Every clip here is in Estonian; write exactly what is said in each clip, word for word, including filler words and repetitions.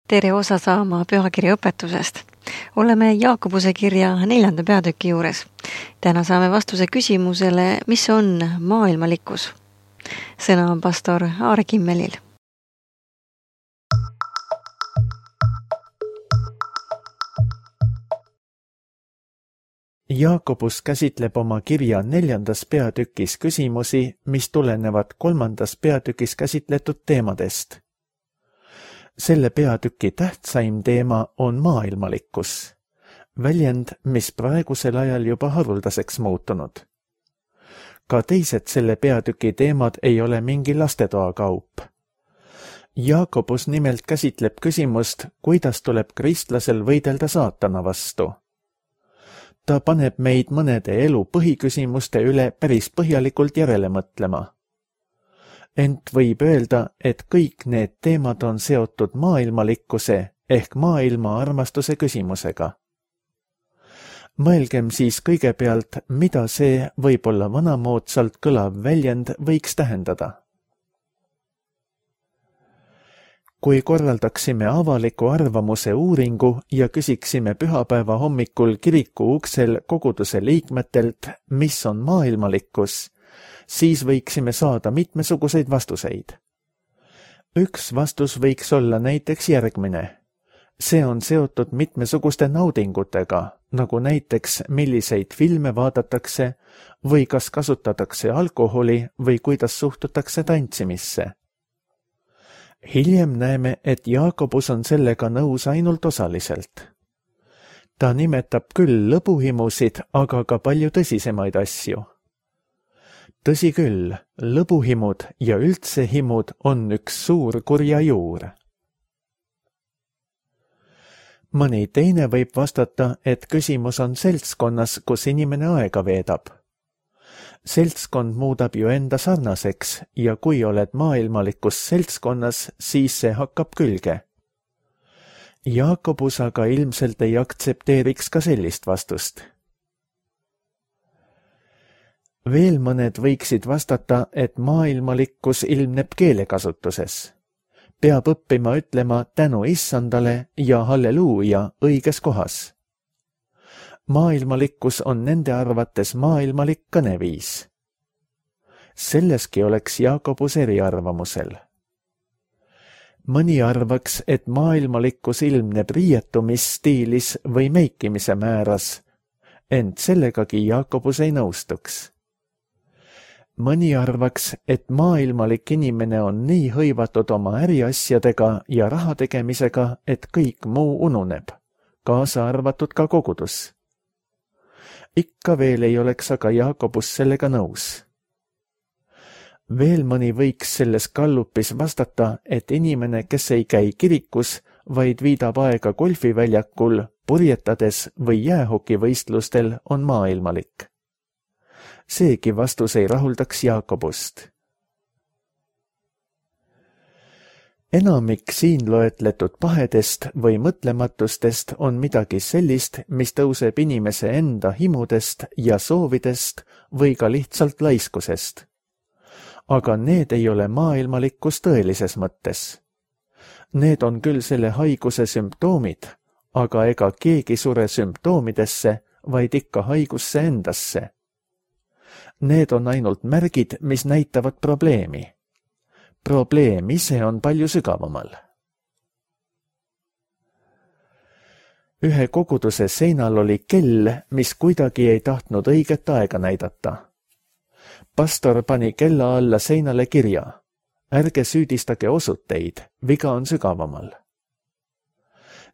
Tere osa saama pühakirja õpetusest. Oleme Jaakobuse kirja neljanda peatüki juures. Täna saame vastuse küsimusele, mis on maailmalikkus. Sõna on pastor Aare Kimmelil. Jaakobus käsitleb oma kirja neljandas peatükis küsimusi, mis tulenevad kolmandas peatükis käsitletud teemadest. Selle peatüki tähtsaim teema on maailmalikkus, väljend, mis praegusel ajal juba haruldaseks muutunud. Ka teised selle peatüki teemad ei ole mingi lastetoa kaup. Jaakobus nimelt käsitleb küsimust, kuidas tuleb kristlasel võidelda saatana vastu. Ta paneb meid mõnede elu põhiküsimuste üle päris põhjalikult järele mõtlema. Ent võib öelda, et kõik need teemad on seotud maailmalikkuse ehk maailma armastuse küsimusega. Mõelgem siis kõigepealt, mida see võib-olla vanamoodsalt kõlav väljend võiks tähendada. Kui korraldaksime avaliku arvamuse uuringu ja küsiksime pühapäeva hommikul kiriku uksel koguduse liikmetelt, mis on maailmalikkus, siis võiksime saada mitmesuguseid vastuseid. Üks vastus võiks olla näiteks järgmine. See on seotud mitmesuguste naudingutega, nagu näiteks milliseid filme vaadatakse või kas kasutatakse alkoholi või kuidas suhtutakse tantsimisse. Hiljem näeme, et Jaakobus on sellega nõus ainult osaliselt. Ta nimetab küll lõbuhimusid, aga ka palju tõsisemaid asju. Tõsi küll, lõbuhimud ja üldse himud on üks suur kurja juur. Mõni teine võib vastata, et küsimus on seltskonnas, kus inimene aega veedab. Seltskond muudab ju enda sarnaseks ja kui oled maailmalikus seltskonnas, siis see hakkab külge. Jaakobus aga ilmselt ei aktsepteeriks ka sellist vastust. Veel mõned võiksid vastata, et maailmalikkus ilmneb keelekasutuses. Peab õppima ütlema tänu issandale ja halleluuja õiges kohas. Maailmalikkus on nende arvates maailmalik kõneviis. Selleski oleks Jaakobus eriarvamusel. Mõni arvaks, et maailmalikkus ilmneb riietumisstiilis või meikimise määras, ent sellegagi Jaakobus ei nõustuks. Mõni arvaks, et maailmalik inimene on nii hõivatud oma äriasjadega ja raha tegemisega, et kõik muu ununeb, kaasa arvatud ka kogudus. Ikka veel ei oleks aga Jaakobus sellega nõus. Veel mõni võiks selles kallupis vastata, et inimene, kes ei käi kirikus, vaid viidab aega golfiväljakul, purjetades või jäähokivõistlustel, on maailmalik. Seegi vastus ei rahuldaks Jaakobust. Enamik siin loetletud pahedest või mõtlematustest on midagi sellist, mis tõuseb inimese enda himudest ja soovidest või ka lihtsalt laiskusest. Aga need ei ole maailmalikkus tõelises mõttes. Need on küll selle haiguse sümptoomid, aga ega keegi sure sümptoomidesse, vaid ikka haigusse endasse. Need on ainult märgid, mis näitavad probleemi. Probleem ise on palju sügavamal. Ühe koguduse seinal oli kell, mis kuidagi ei tahtnud õiget aega näidata. Pastor pani kella alla seinale kirja. Ärge süüdistage osuteid, viga on sügavamal.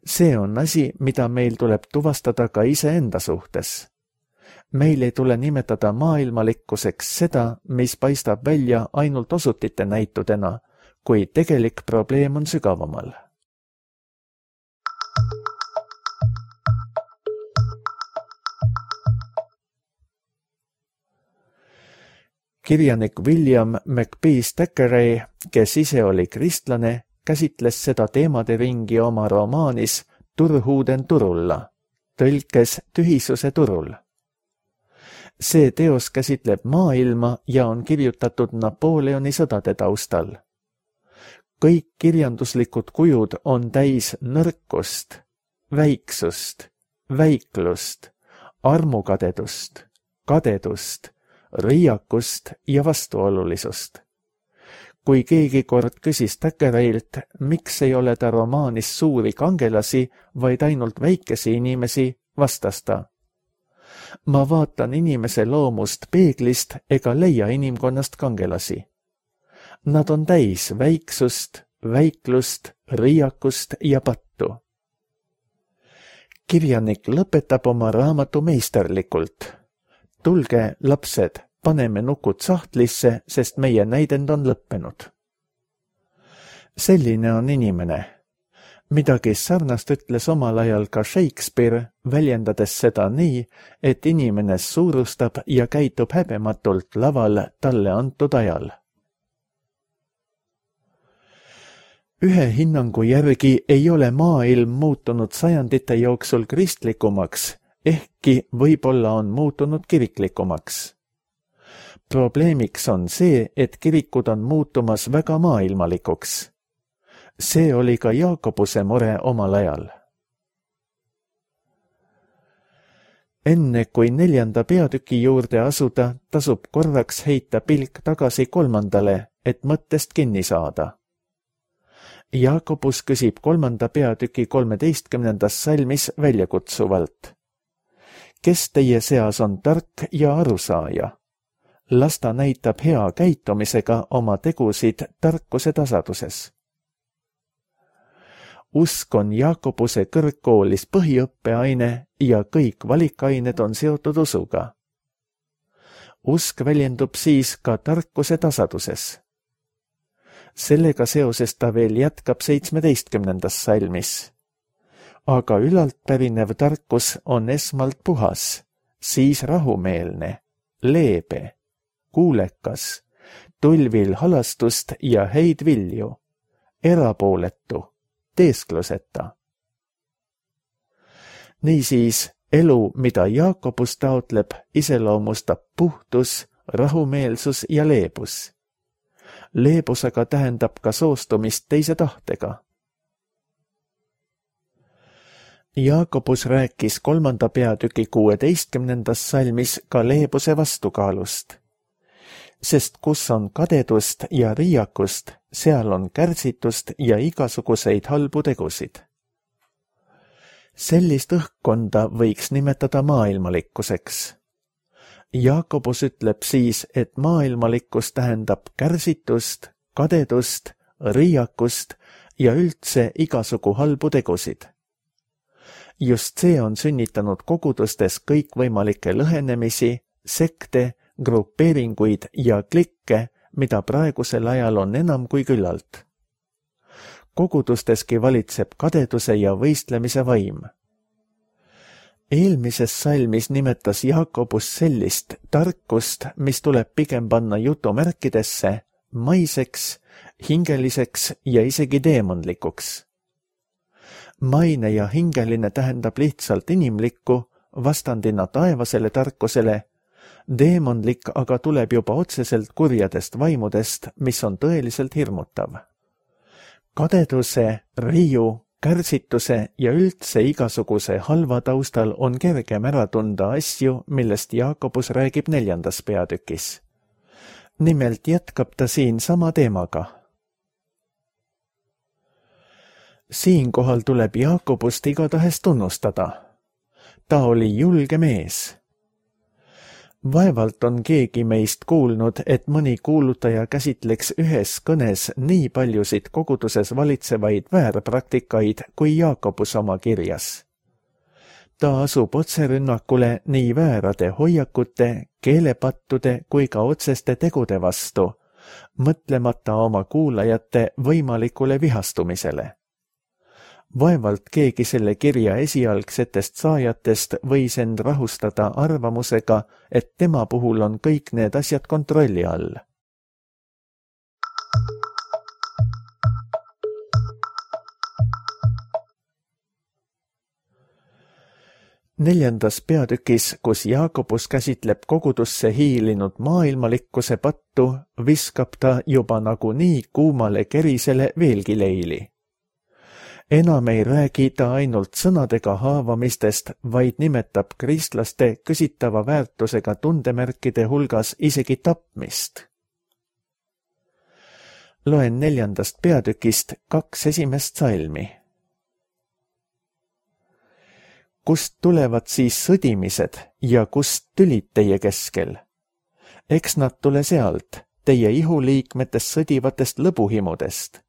See on asi, mida meil tuleb tuvastada ka iseenda suhtes. Meil ei tule nimetada maailmalikkuseks seda, mis paistab välja ainult osutite näitudena, kui tegelik probleem on sügavamal. Kirjanik William McBees Thackeray, kes ise oli kristlane, käsitles seda teemade ringi oma romaanis Turhuuden turulla, tõlkes tühisuse turul. See teos käsitleb maailma ja on kirjutatud Napoleoni sõdade taustal. kõik kirjanduslikud kujud on täis nõrkust, väiksust, väiklust, armukadedust, kadedust, riiakust ja vastuolulisust. Kui keegi kord küsis Thackeraylt, miks ei ole ta romaanis suuri kangelasi, vaid ainult väikesi inimesi, vastas ta. Ma vaatan inimese loomust peeglist ega leia inimkonnast kangelasi. Nad on täis väiksust, väiklust, riiakust ja pattu. Kirjanik lõpetab oma raamatu meisterlikult. Tulge, lapsed, paneme nukud sahtlisse, sest meie näidend on lõppenud. Selline on inimene. Midagi sarnast ütles omal ajal ka Shakespeare, väljendades seda nii, et inimene suurustab ja käitub häbematult laval talle antud ajal. Ühe hinnangu järgi ei ole maailm muutunud sajandite jooksul kristlikumaks, ehkki võib-olla on muutunud kiriklikumaks. Probleemiks on see, et kirikud on muutumas väga maailmalikuks. See oli ka Jaakobuse mure omal ajal. Enne kui neljanda peatüki juurde asuda, tasub korraks heita pilk tagasi kolmandale, et mõttest kinni saada. Jaakobus küsib kolmanda peatüki kolmeteistkümnendas salmis väljakutsuvalt. Kes teie seas on tark ja arusaaja? Las ta näitab hea käitumisega oma tegusid tarkuse tasaduses. Usk on Jaakobuse kõrgkoolis põhiõppeaine ja kõik valikained on seotud usuga. Usk väljendub siis ka tarkuse tasaduses. Sellega seoses ta veel jätkab seitsmeteistkümnendas salmis. Aga ülalt pärinev tarkus on esmalt puhas, siis rahumeelne, leebe, kuulekas, tulvil halastust ja häid vilju, erapooletu, teeskluseta. Niisiis, elu, mida Jaakobus taotleb, iseloomustab puhtus, rahumeelsus ja leebus. Leebus aga tähendab ka soostumist teise tahtega. Jaakobus rääkis kolmanda peatüki kuueteistkümnendas salmis ka leebuse vastukaalust. Sest kus on kadedust ja riiakust, seal on kärsitust ja igasuguseid halbu tegusid. Sellist õhkkonda võiks nimetada maailmalikkuseks. Jaakobus ütleb siis, et maailmalikkus tähendab kärsitust, kadedust, riiakust ja üldse igasugu halbu tegusid. Just see on sünnitanud kogudustes kõikvõimalikke lõhenemisi, sekte, grupeeringuid ja klikke, mida praegusel ajal on enam kui küllalt. Kogudusteski valitseb kadeduse ja võistlemise vaim. Eelmises salmis nimetas Jaakobus sellist tarkust, mis tuleb pigem panna jutumärkidesse, maiseks, hingeliseks ja isegi teemonlikuks. Maine ja hingeline tähendab lihtsalt inimlikku, vastandina taevasele tarkusele, teemonlik aga tuleb juba otseselt kurjadest vaimudest, mis on tõeliselt hirmutav. Kadeduse, riiu, kärsituse ja üldse igasuguse halva taustal on kergem ära tunda asju, millest Jaakobus räägib neljandas peatükis. Nimelt jätkab ta siin sama teemaga. Siinkohal tuleb Jaakobust igatahes tunnustada. Ta oli julge mees. Vaevalt on keegi meist kuulnud, et mõni kuulutaja käsitleks ühes kõnes nii paljusid koguduses valitsevaid väärpraktikaid kui Jaakobus oma kirjas. Ta asub otserünnakule nii väärade hoiakute, keelepattude kui ka otseste tegude vastu, mõtlemata oma kuulajate võimalikule vihastumisele. Vaevalt keegi selle kirja esialgsetest saajatest võis end rahustada arvamusega, et tema puhul on kõik need asjad kontrolli all. neljandas peatükis, kus Jaakobus käsitleb kogudusse hiilinud maailmalikkuse pattu, viskab ta juba nagunii kuumale kerisele veelgi leili. Enam ei räägi ta ainult sõnadega haavamistest, vaid nimetab kristlaste küsitava väärtusega tundemärkide hulgas isegi tapmist. Loen neljandast peatükist kaks esimest salmi. Kust tulevad siis sõdimised ja kust tülid teie keskel? Eks nad tule sealt, teie ihuliikmetest sõdivatest lõbuhimudest.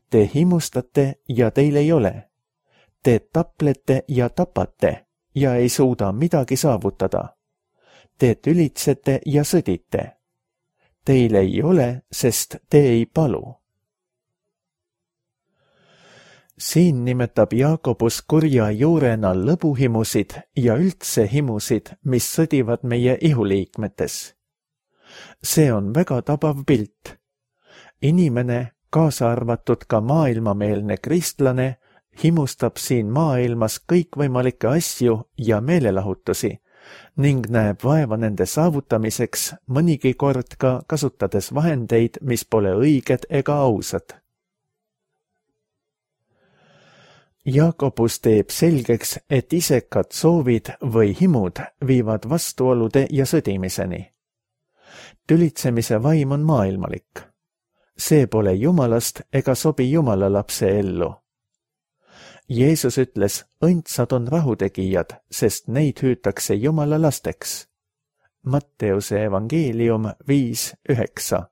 Te himustate ja teil ei ole. Te taplete ja tapate ja ei suuda midagi saavutada. Te tülitsete ja sõdite. Teil ei ole, sest te ei palu. Siin nimetab Jaakobus kurja juurena lõbuhimusid ja üldse himusid, mis sõdivad meie ihuliikmetes. See on väga tabav pilt. Inimene, kaasa arvatud ka maailmameelne kristlane, himustab siin maailmas kõikvõimalikke asju ja meelelahutusi ning näeb vaeva nende saavutamiseks, mõnigi kord ka kasutades vahendeid, mis pole õiged ega ausad. Jaakobus teeb selgeks, et isekad soovid või himud viivad vastuolude ja sõdimiseni. Tülitsemise vaim on maailmalik. See pole Jumalast ega sobi Jumala lapse ellu. Jeesus ütles, õndsad on rahutegijad, sest neid hüütakse Jumala lasteks. Matteuse evangeelium viis üheksa.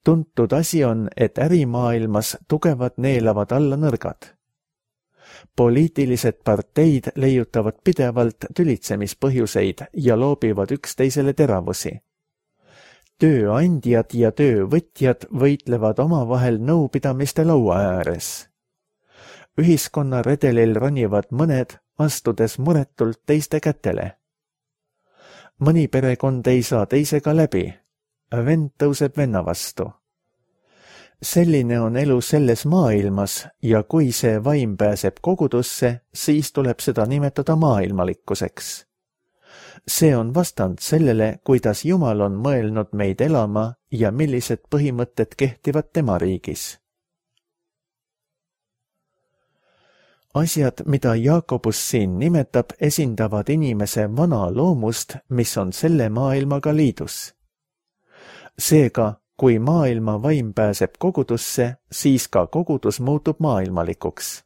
Tuntud asi on, et ärimaailmas tugevad neelavad alla nõrgad. Poliitilised parteid leiutavad pidevalt tülitsemispõhjuseid ja loobivad üksteisele teravusi. Tööandjad ja töövõtjad võitlevad omavahel nõupidamiste laua ääres. Ühiskonna redelil ronivad mõned, astudes muretult teiste kätele. Mõni perekond ei saa teisega läbi. Vend tõuseb venna vastu. Selline on elu selles maailmas ja kui see vaim pääseb kogudusse, siis tuleb seda nimetada maailmalikkuseks. See on vastand sellele, kuidas Jumal on mõelnud meid elama ja millised põhimõtted kehtivad tema riigis. Asjad, mida Jaakobus siin nimetab, esindavad inimese vana loomust, mis on selle maailmaga liidus. Seega, kui maailma vaim pääseb kogudusse, siis ka kogudus muutub maailmalikuks.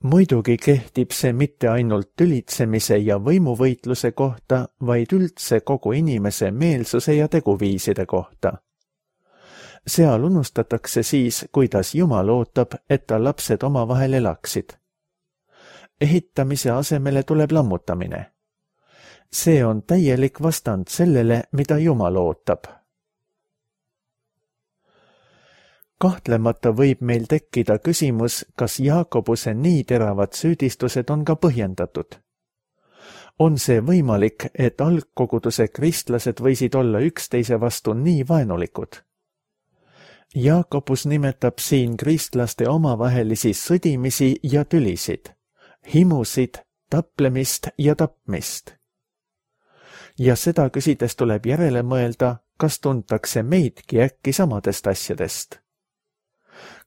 Muidugi kehtib see mitte ainult tülitsemise ja võimuvõitluse kohta, vaid üldse kogu inimese meelsuse ja teguviiside kohta. Seal unustatakse siis, kuidas Jumal ootab, et ta lapsed omavahel elaksid. Ehitamise asemele tuleb lammutamine. See on täielik vastand sellele, mida Jumal ootab. Kahtlemata võib meil tekkida küsimus, kas Jaakobuse nii teravad süüdistused on ka põhjendatud. On see võimalik, et algkoguduse kristlased võisid olla üksteise vastu nii vaenulikud? Jaakobus nimetab siin kristlaste omavahelisi sõdimisi ja tülisid, himusid, taplemist ja tapmist. Ja seda küsides tuleb järele mõelda, kas tuntakse meidki äkki samadest asjadest.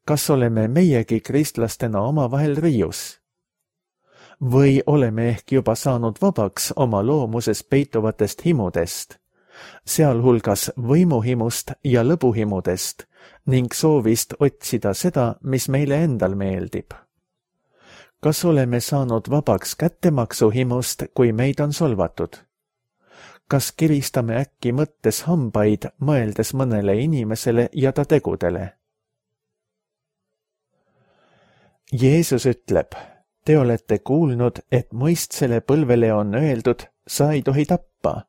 Kas oleme meiegi kristlastena omavahel riius? Või oleme ehk juba saanud vabaks oma loomuses peituvatest himudest, sealhulgas võimuhimust ja lõbuhimudest ning soovist otsida seda, mis meile endal meeldib? Kas oleme saanud vabaks kättemaksuhimust, kui meid on solvatud? Kas kiristame äkki mõttes hambaid, mõeldes mõnele inimesele ja ta tegudele? Jeesus ütleb, te olete kuulnud, et mõistsele põlvele on öeldud, sa ei tohi tappa,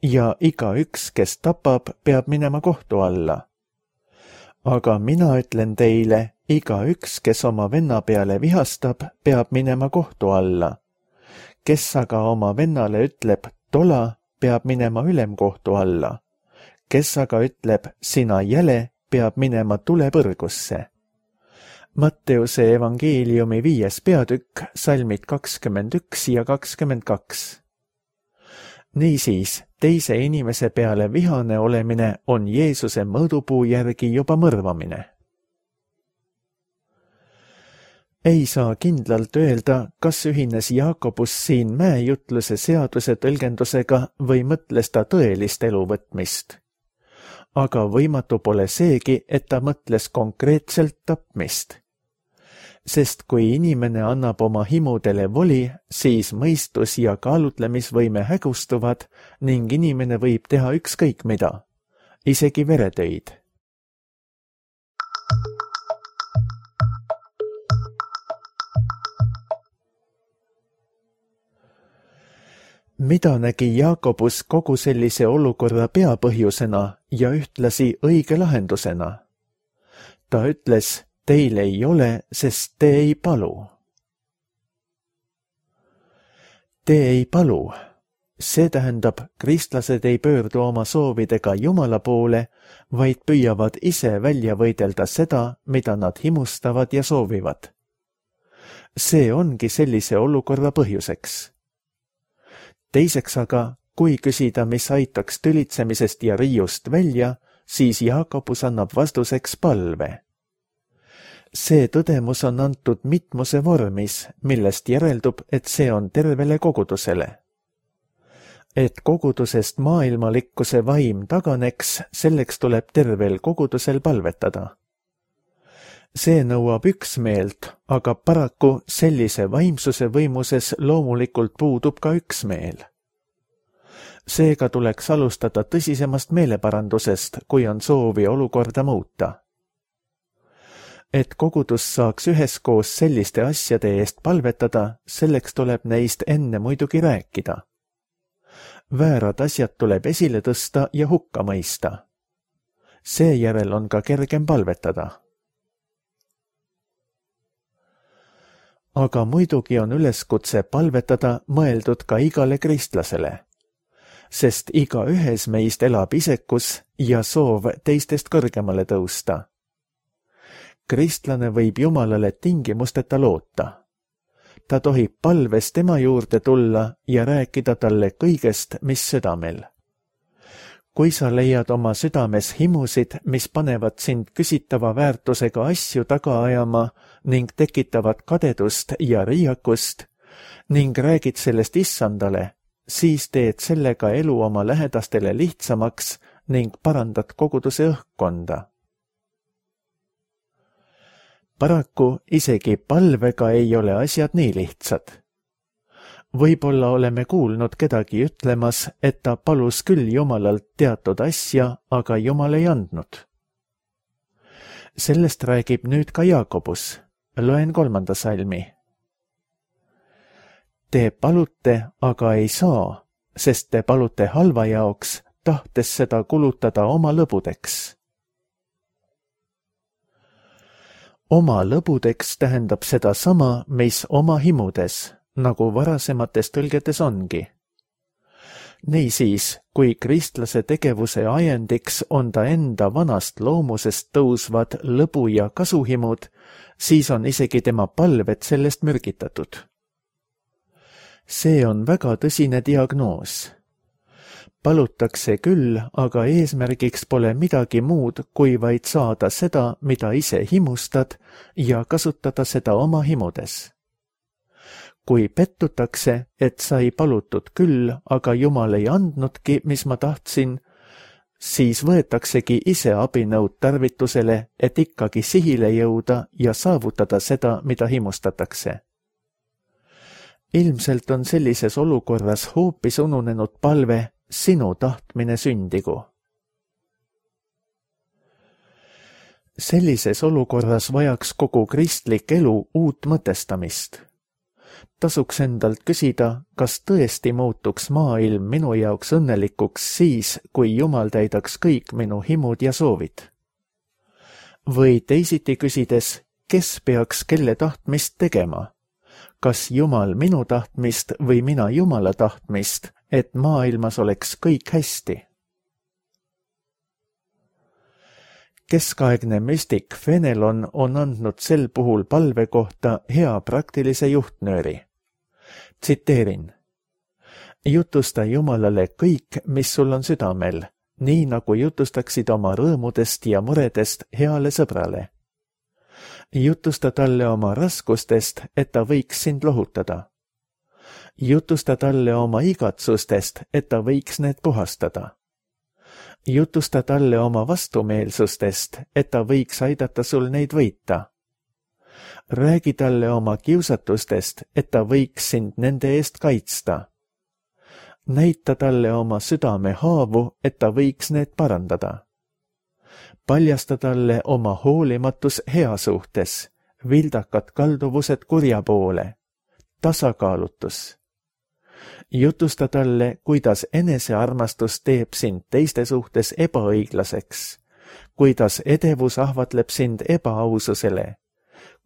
ja igaüks, kes tapab, peab minema kohtu alla. Aga mina ütlen teile, igaüks, kes oma venna peale vihastab, peab minema kohtu alla. Kes aga oma vennale ütleb, tola, peab minema ülemkohtu alla. Kes aga ütleb, sina jäle, peab minema tulepõrgusse. Matteuse evangeeliumi viies peatükk, salmid kakskümmend üks ja kakskümmend kaks. Niisiis, teise inimese peale vihane olemine on Jeesuse mõõdupuu järgi juba mõrvamine. Ei saa kindlalt öelda, kas ühines Jaakobus siin mäejutluse seaduse tõlgendusega või mõtles ta tõelist elu võtmist. Aga võimatu pole seegi, et ta mõtles konkreetselt tapmist. Sest kui inimene annab oma himudele voli, siis mõistus ja kaalutlemisvõime hägustuvad ning inimene võib teha ükskõik mida, isegi veretöid. Mida nägi Jaakobus kogu sellise olukorra peapõhjusena ja ühtlasi õige lahendusena? Ta ütles, teil ei ole, sest te ei palu. Te ei palu. See tähendab, kristlased ei pöördu oma soovidega Jumala poole, vaid püüavad ise välja võidelda seda, mida nad himustavad ja soovivad. See ongi sellise olukorra põhjuseks. Teiseks aga, kui küsida, mis aitaks tülitsemisest ja riiust välja, siis Jaakobus annab vastuseks palve. See tõdemus on antud mitmuse vormis, millest järeldub, et see on tervele kogudusele. Et kogudusest maailmalikkuse vaim taganeks, selleks tuleb tervel kogudusel palvetada. See nõuab üksmeelt, aga paraku sellise vaimsuse võimuses loomulikult puudub ka üksmeel. Seega tuleks alustada tõsisemast meeleparandusest, kui on soovi olukorda muuta. Et kogudus saaks üheskoos selliste asjade eest palvetada, selleks tuleb neist enne muidugi rääkida. Väärad asjad tuleb esile tõsta ja hukka mõista. Seejärel on ka kergem palvetada. Aga muidugi on üleskutse palvetada mõeldud ka igale kristlasele, sest iga ühes meist elab isekus ja soov teistest kõrgemale tõusta. Kristlane võib Jumalale tingimusteta loota. Ta tohib palves tema juurde tulla ja rääkida talle kõigest, mis südamel. Kui sa leiad oma südames himusid, mis panevad sind küsitava väärtusega asju taga ajama ning tekitavad kadedust ja riiakust ning räägid sellest issandale, siis teed sellega elu oma lähedastele lihtsamaks ning parandad koguduse õhkkonda. Paraku isegi palvega ei ole asjad nii lihtsad. Võib-olla oleme kuulnud kedagi ütlemas, et ta palus küll Jumalalt teatud asja, aga Jumal ei andnud. Sellest räägib nüüd ka Jaakobus. Loen kolmanda salmi. Te palute, aga ei saa, sest te palute halva jaoks, tahtes seda kulutada oma lõbudeks. Oma lõbudeks tähendab seda sama, mis oma himudes, nagu varasemates tõlgetes ongi. Niisiis, kui kristlase tegevuse ajendiks on ta enda vanast loomusest tõusvad lõbu- ja kasuhimud, siis on isegi tema palved sellest mürgitatud. See on väga tõsine diagnoos. Palutakse küll, aga eesmärgiks pole midagi muud, kui vaid saada seda, mida ise himustad ja kasutada seda oma himudes. Kui pettutakse, et sai palutud küll, aga Jumal ei andnudki, mis ma tahtsin, siis võetaksegi ise abinõud tarvitusele, et ikkagi sihile jõuda ja saavutada seda, mida himustatakse. Ilmselt on sellises olukorras hoopis ununenud palve sinu tahtmine sündigu. Sellises olukorras vajaks kogu kristlik elu uut mõtestamist. Tasuks endalt küsida, kas tõesti muutuks maailm minu jaoks õnnelikuks siis, kui Jumal täidaks kõik minu himud ja soovid. Või teisiti küsides, kes peaks kelle tahtmist tegema? Kas Jumal minu tahtmist või mina Jumala tahtmist, et maailmas oleks kõik hästi? Keskaegne müstik Fenelon on andnud sel puhul palve kohta hea praktilise juhtnööri. Tsiteerin. Jutusta Jumalale kõik, mis sul on südamel, nii nagu jutustaksid oma rõõmudest ja muredest heale sõbrale. Jutusta talle oma raskustest, et ta võiks sind lohutada. Jutusta talle oma igatsustest, et ta võiks need puhastada. Jutusta talle oma vastumeelsustest, et ta võiks aidata sul neid võita. Räägi talle oma kiusatustest, et ta võiks sind nende eest kaitsta. Näita talle oma südame haavu, et ta võiks need parandada. Paljasta talle oma hoolimatus hea suhtes, vildakad kalduvused kurja poole, tasakaalutus. Jutusta talle, kuidas enesearmastus teeb sind teiste suhtes ebaõiglaseks, kuidas edevus ahvatleb sind ebaaususele,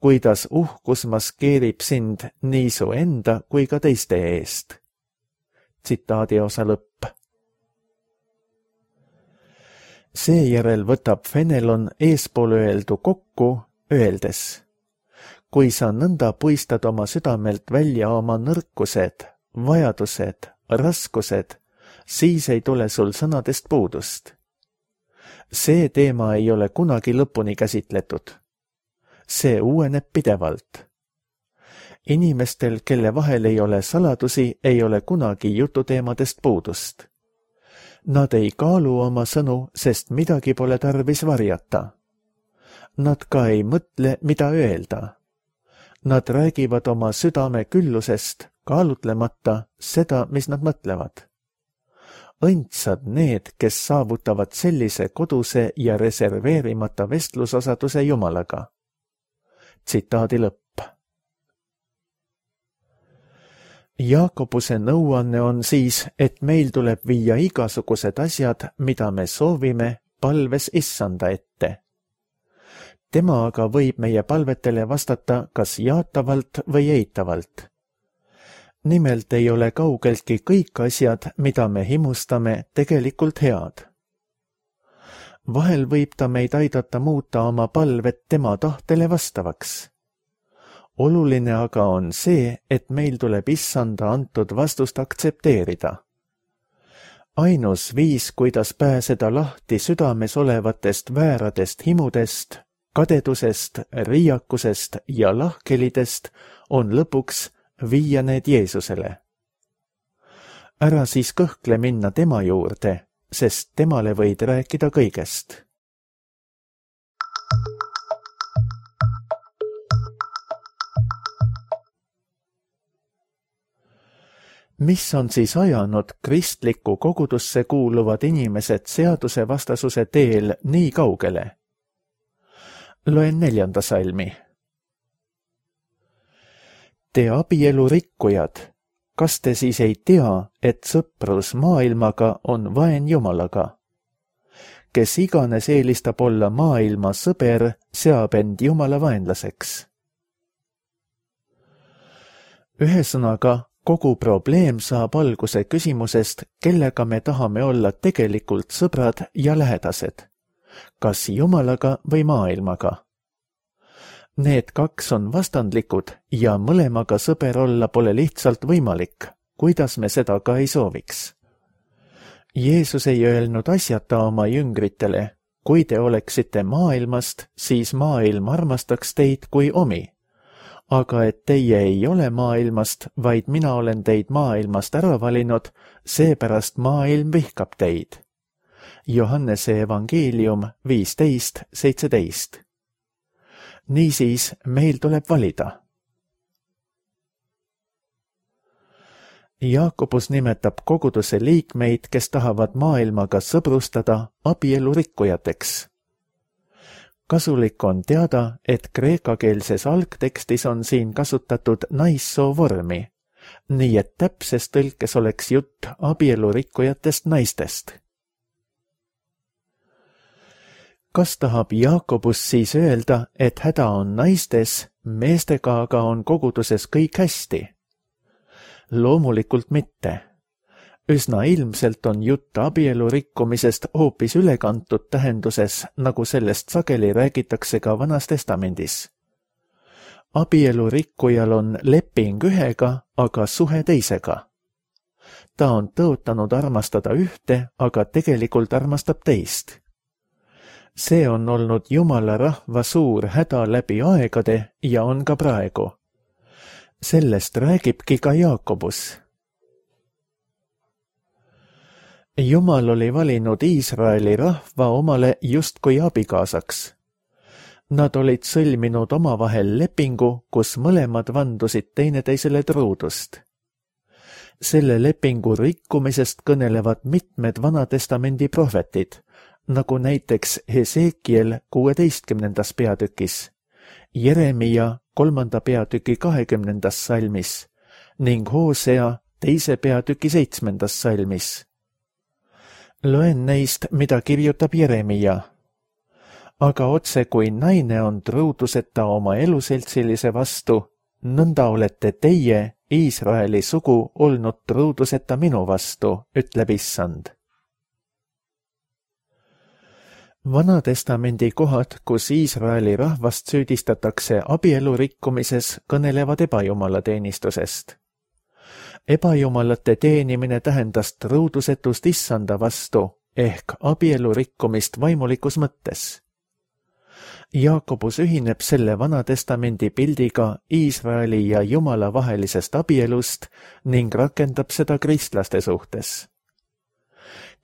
kuidas uhkus maskeerib sind nii su enda kui ka teiste eest. Tsitaadi osa lõpp. Seejärel võtab Fenelon eespool öeldu kokku, öeldes, kui sa nõnda puistad oma südamelt välja oma nõrkused, vajadused, raskused, siis ei tule sul sõnadest puudust. See teema ei ole kunagi lõpuni käsitletud. See uueneb pidevalt. Inimestel, kelle vahel ei ole saladusi, ei ole kunagi jututeemadest puudust. Nad ei kaalu oma sõnu, sest midagi pole tarvis varjata. Nad ka ei mõtle, mida öelda. Nad räägivad oma südame küllusest, kaalutlemata seda, mis nad mõtlevad. Õndsad need, kes saavutavad sellise koduse ja reserveerimata vestlusosaduse Jumalaga. Tsitaadi lõpp. Jaakobuse nõuanne on siis, et meil tuleb viia igasugused asjad, mida me soovime, palves Issanda ette. Tema aga võib meie palvetele vastata kas jaatavalt või eitavalt. Nimelt ei ole kaugeltki kõik asjad, mida me himustame, tegelikult head. Vahel võib ta meid aidata muuta oma palvet tema tahtele vastavaks. Oluline aga on see, et meil tuleb Issanda antud vastust aktsepteerida. Ainus viis, kuidas pääseda lahti südames olevatest vääradest himudest, kadedusest, riiakusest ja lahkelidest, on lõpuks viia need Jeesusele. Ära siis kõhkle minna tema juurde, sest temale võid rääkida kõigest. Mis on siis ajanud kristlikku kogudusse kuuluvad inimesed seadusevastasuse teel nii kaugele? Loen neljanda salmi. Te abielu rikkujad, kas te siis ei tea, et sõprus maailmaga on vaen Jumalaga? Kes iganes eelistab olla maailma sõber, seab end Jumala vaenlaseks. Ühesõnaga, kogu probleem saab alguse küsimusest, kellega me tahame olla tegelikult sõbrad ja lähedased. Kas Jumalaga või maailmaga? Need kaks on vastandlikud ja mõlemaga sõber olla pole lihtsalt võimalik, kuidas me seda ka ei sooviks. Jeesus ei öelnud asjata oma jüngritele, kui te oleksite maailmast, siis maailm armastaks teid kui omi. Aga et teie ei ole maailmast, vaid mina olen teid maailmast ära valinud, seepärast maailm vihkab teid. Johannese evangeelium viisteist seitseteist. Niisiis meil tuleb valida. Jaakobus nimetab koguduse liikmeid, kes tahavad maailmaga sõbrustada, abielu rikkujateks. Kasulik on teada, et kreekakeelses algtekstis on siin kasutatud naissoo vormi, nii et täpses tõlkes oleks jutt abielu rikkujatest naistest. Kas tahab Jaakobus siis öelda, et häda on naistes, meestega aga on koguduses kõik hästi? Loomulikult mitte. Üsna ilmselt on jutt abielu rikkumisest hoopis ülekantud tähenduses, nagu sellest sageli räägitakse ka Vanas Testamendis. Abielu rikkujal on leping ühega, aga suhe teisega. Ta on tõotanud armastada ühte, aga tegelikult armastab teist. See on olnud Jumala rahva suur häda läbi aegade ja on ka praegu. Sellest räägibki ka Jaakobus. Jumal oli valinud Iisraeli rahva omale justkui abikaasaks. Nad olid sõlminud omavahel lepingu, kus mõlemad vandusid teineteisele truudust. Selle lepingu rikkumisest kõnelevad mitmed Vanatestamendi prohvetid, nagu näiteks Hesekiel kuueteistkümnendas peatükis, Jeremia kolmanda peatüki kahekümnendas salmis ning Hoosea teise peatüki seitsmendas salmis. Loen neist, mida kirjutab Jeremia. Aga otse kui naine on truuduseta oma eluseltsilise vastu, nõnda olete teie, Iisraeli sugu, olnud truuduseta minu vastu, ütleb Issand. Vanatestamendi kohad, kus Iisraeli rahvast süüdistatakse abielu rikkumises, kõnelevad ebajumalateenistusest. Ebajumalate teenimine tähendas truudusetust Issanda vastu ehk abielu rikkumist vaimulikus mõttes. Jaakobus ühineb selle Vanatestamendi pildiga Iisraeli ja Jumala vahelisest abielust ning rakendab seda kristlaste suhtes.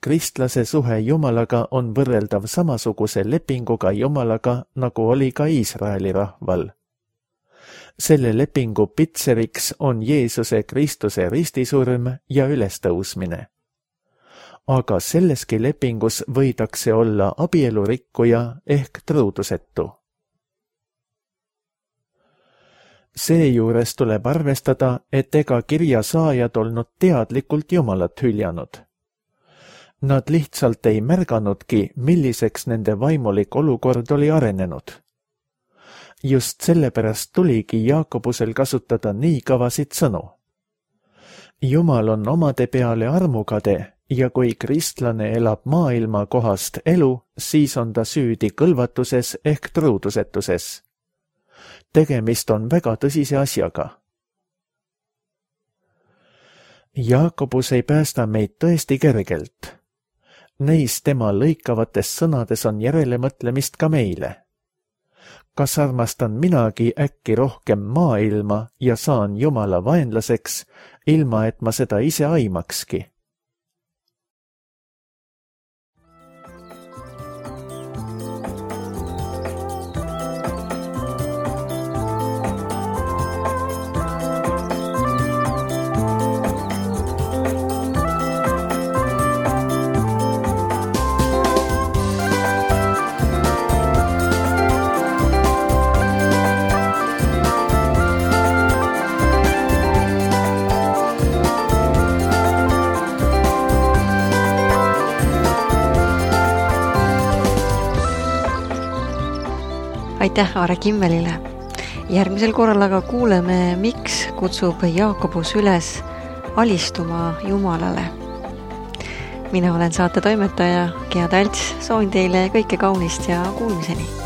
Kristlase suhe Jumalaga on võrreldav samasuguse lepinguga Jumalaga, nagu oli ka Iisraeli rahval. Selle lepingu pitseriks on Jeesuse Kristuse ristisurm ja ülestõusmine. Aga selleski lepingus võidakse olla abielurikkuja ehk truudusetu. Seejuures tuleb arvestada, et ega kirja saajad olnud teadlikult Jumalat hüljanud. Nad lihtsalt ei märganudki, milliseks nende vaimulik olukord oli arenenud. Just sellepärast tuligi Jaakobusel kasutada nii kavasid sõnu. Jumal on omade peale armukade ja kui kristlane elab maailma kohast elu, siis on ta süüdi kõlvatuses ehk truudusetuses. Tegemist on väga tõsise asjaga. Jaakobus ei päästa meid tõesti kergelt. Neis tema lõikavates sõnades on järelemõtlemist ka meile. Kas armastan minagi äkki rohkem maailma ja saan Jumala vaenlaseks, ilma et ma seda ise aimakski? Aitäh Aare Kimmelile. Järgmisel korral aga kuuleme, miks kutsub Jaakobus üles alistuma Jumalale. Mina olen saate toimetaja Gea Talts, soovin teile kõike kaunist ja kuulmiseni.